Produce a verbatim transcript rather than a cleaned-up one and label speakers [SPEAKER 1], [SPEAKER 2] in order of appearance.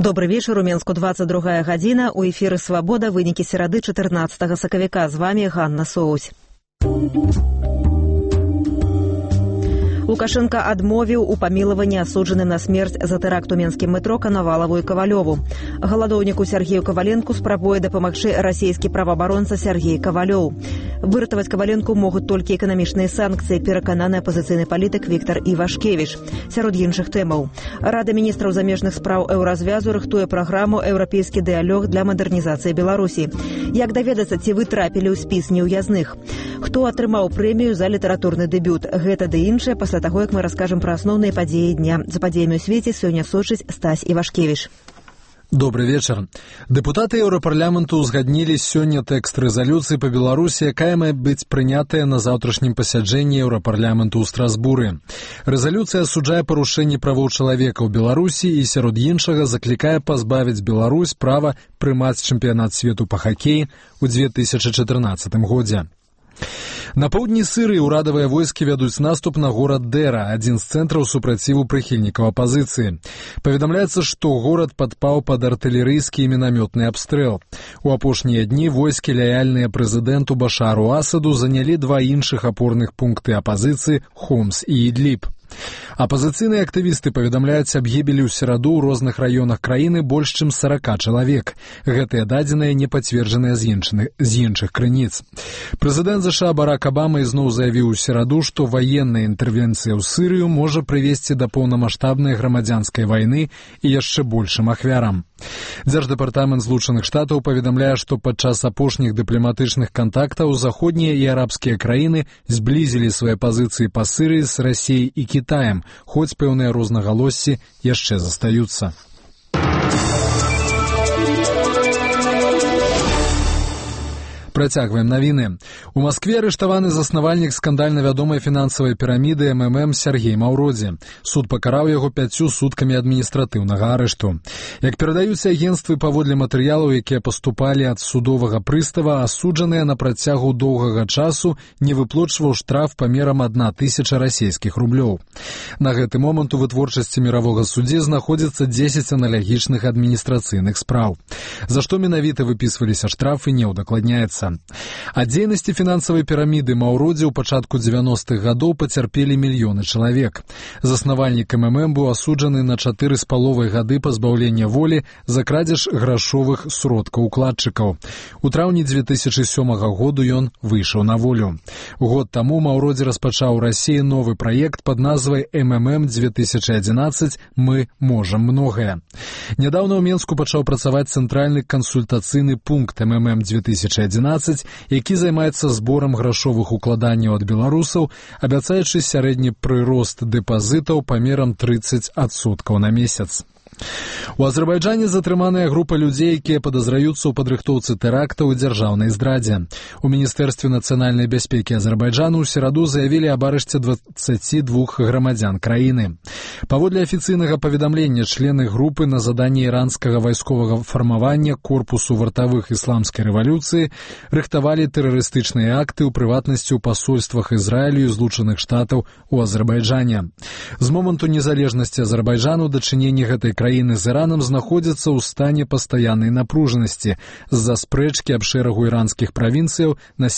[SPEAKER 1] Добрый вечер, у Менску двадцать другая гадзіна, у эфіры «Свабода», вынікі серады чатырнаццатага сакавіка. З вами Ганна Соусь. Лукашенко адмовіў у памілаванні асуджаным на смерць за тэракт у менскім метро Канавалаву і Кавалёву. Галадоўніку Сергею Каваленку спрабуе дапамагчы расійскі праваабаронца Сергей Кавалёў. Выратаваць Каваленку могуць толькі эканамічныя санкцыі, перакананы апазіцыйны палітык Віктор Івашкевіч. Сярод іншых тэмаў. Рада міністраў замежных спраў Еўразвязу рыхтуе праграму «Еўрапейскі дыялог для мадэрнізацыі Беларусі». Як даведацца, ці вы трапілі ў спіс неўязных? Хто атрымаў прэмію за літаратурны дэбют? Гэта ды іншае пасля таго, як мы раскажам пра асноўныя падзеі дня. За падзеямі ў свеце сёння сочыць Стась Івашкевіч.
[SPEAKER 2] Добрый вечер. Дэпутаты Еўрапарламенту узгаднілі сёння тэкст рэзалюцыі па Беларусі, якая мае быць прынятая на заўтрашнім пасяджэнні Еўрапарламенту ў Страсбуры. Рэзалюцыя асуджае парушэнні правоў чалавека ў Беларусі і сярод іншага заклікае пазбавіць Беларусь права прымаць чэмпіянат свету па хакеі ў две тысячы чатырнаццатым годзе. На поўдні Сырыі ўрадавыя войскі вядуць наступ на горад Дэра, адзін з цэнтраў супраціву прыхільнікаў апазіцыі. Паведамляецца, што горад падпаў пад артылерыйскі і мінамётны абстрэл. У апошнія дні войскі, лаяльныя прэзідэнту Башару Асаду, занялі два іншых апорных пункты апазіцыі – Хомс і Ідліб. Апазіцыйныя актывісты паведамляюць аб гібелі ў сераду ў розных раёнах краіны больш чым сорока чалавек. Гэтыя дадзеныя не пацверджаныя з іншых, з іншых крыніц. Прэзідэнт ЗША Барак Абама ізноў заявіў у сераду, што ваенная інтэрвенцыя ў Сырыю можа прывесці да поўнамаштабнай грамадзянскай вайны і яшчэ большым ахвярам. Дзярждэпартамент Злучаных Штатаў паведамляе, што падчас апошніх дыпламатычных кантактаў заходнія і арабскія краіны зблізілі свае пазіцыі па Сырыі з Расіяй і Кітаем, хоць пэўныя рознагалоссі яшчэ застаюцца. Працягваем навіны. У Маскве арыштаваны заснавальнік скандальна вядомай фінансавай піраміды эм эм эм Сергей Маўродзе. Суд пакараў яго пяццю суткамі адміністратыўнага арышту. Як перадаюць агенцтвы, паводле матэрыялаў, якія паступалі ад судовага прыстава, асуджаныя на працягу доўгага часу не выплочваў штраф памерам адна тысяча расійскіх рублёў. На гэты момант у вытворчасці міравога суддзі знаходзіцца дзесяць аналагічных адміністрацыйных спраў. За што менавіта выпісваліся штрафы, не ўдакладняецца. Ад дзейнасці фінансавай піраміды Маўродзе ў пачатку дзевяностых гадоў пацярпелі мільёны чалавек. Заснавальнік эм эм эм быў асуджаны на чатыры з паловай гады пазбаўлення волі за крадзеж грашовых сродкаў укладчыкаў. У траўні дзве тысячы сёмага году ён выйшаў на волю. Год таму Маўродзе распачаў у Расіі новы праект пад назвай эм эм эм две тысячи одиннадцать «Мы можам многае». Нядаўна ў Менску пачаў працаваць цэнтральны кансультацыйны пункт эм эм эм две тысячи одиннадцать, які займаецца зборам грашовых укладанняў ад беларусаў, абяцаючы сярэдні прырост дэпазітаў памерам тридцать адсоткаў на месяц. У Азербайджане затрыманая група людзей, якія падазраюцца ў падрыхтоўцы тэрактаў і дзяржаўнай здрадзе. У Міністэрстве нацыянальнай бяспекі Азербайджану ў сераду заявілі аб арышце дваццаці двух грамадзян краіны. Паводле афіцыйнага паведамлення, члены групы на заданні іранскага вайсковага фармавання корпусу вартавых ісламскай рэвалюцыі рыхтавалі тэрарыстычныя акты, у прыватнасці ў пасольствах Ізраілю і Злучаных Штатаў у Азербайджане. З моманту незалежнасці Азербайджану дачыненні гэтай краіны з Іранам знаходзяцца ў стане пастаяннай напружанасці з-за спрэчкі аб шэрагу іранскіх правінцыяў на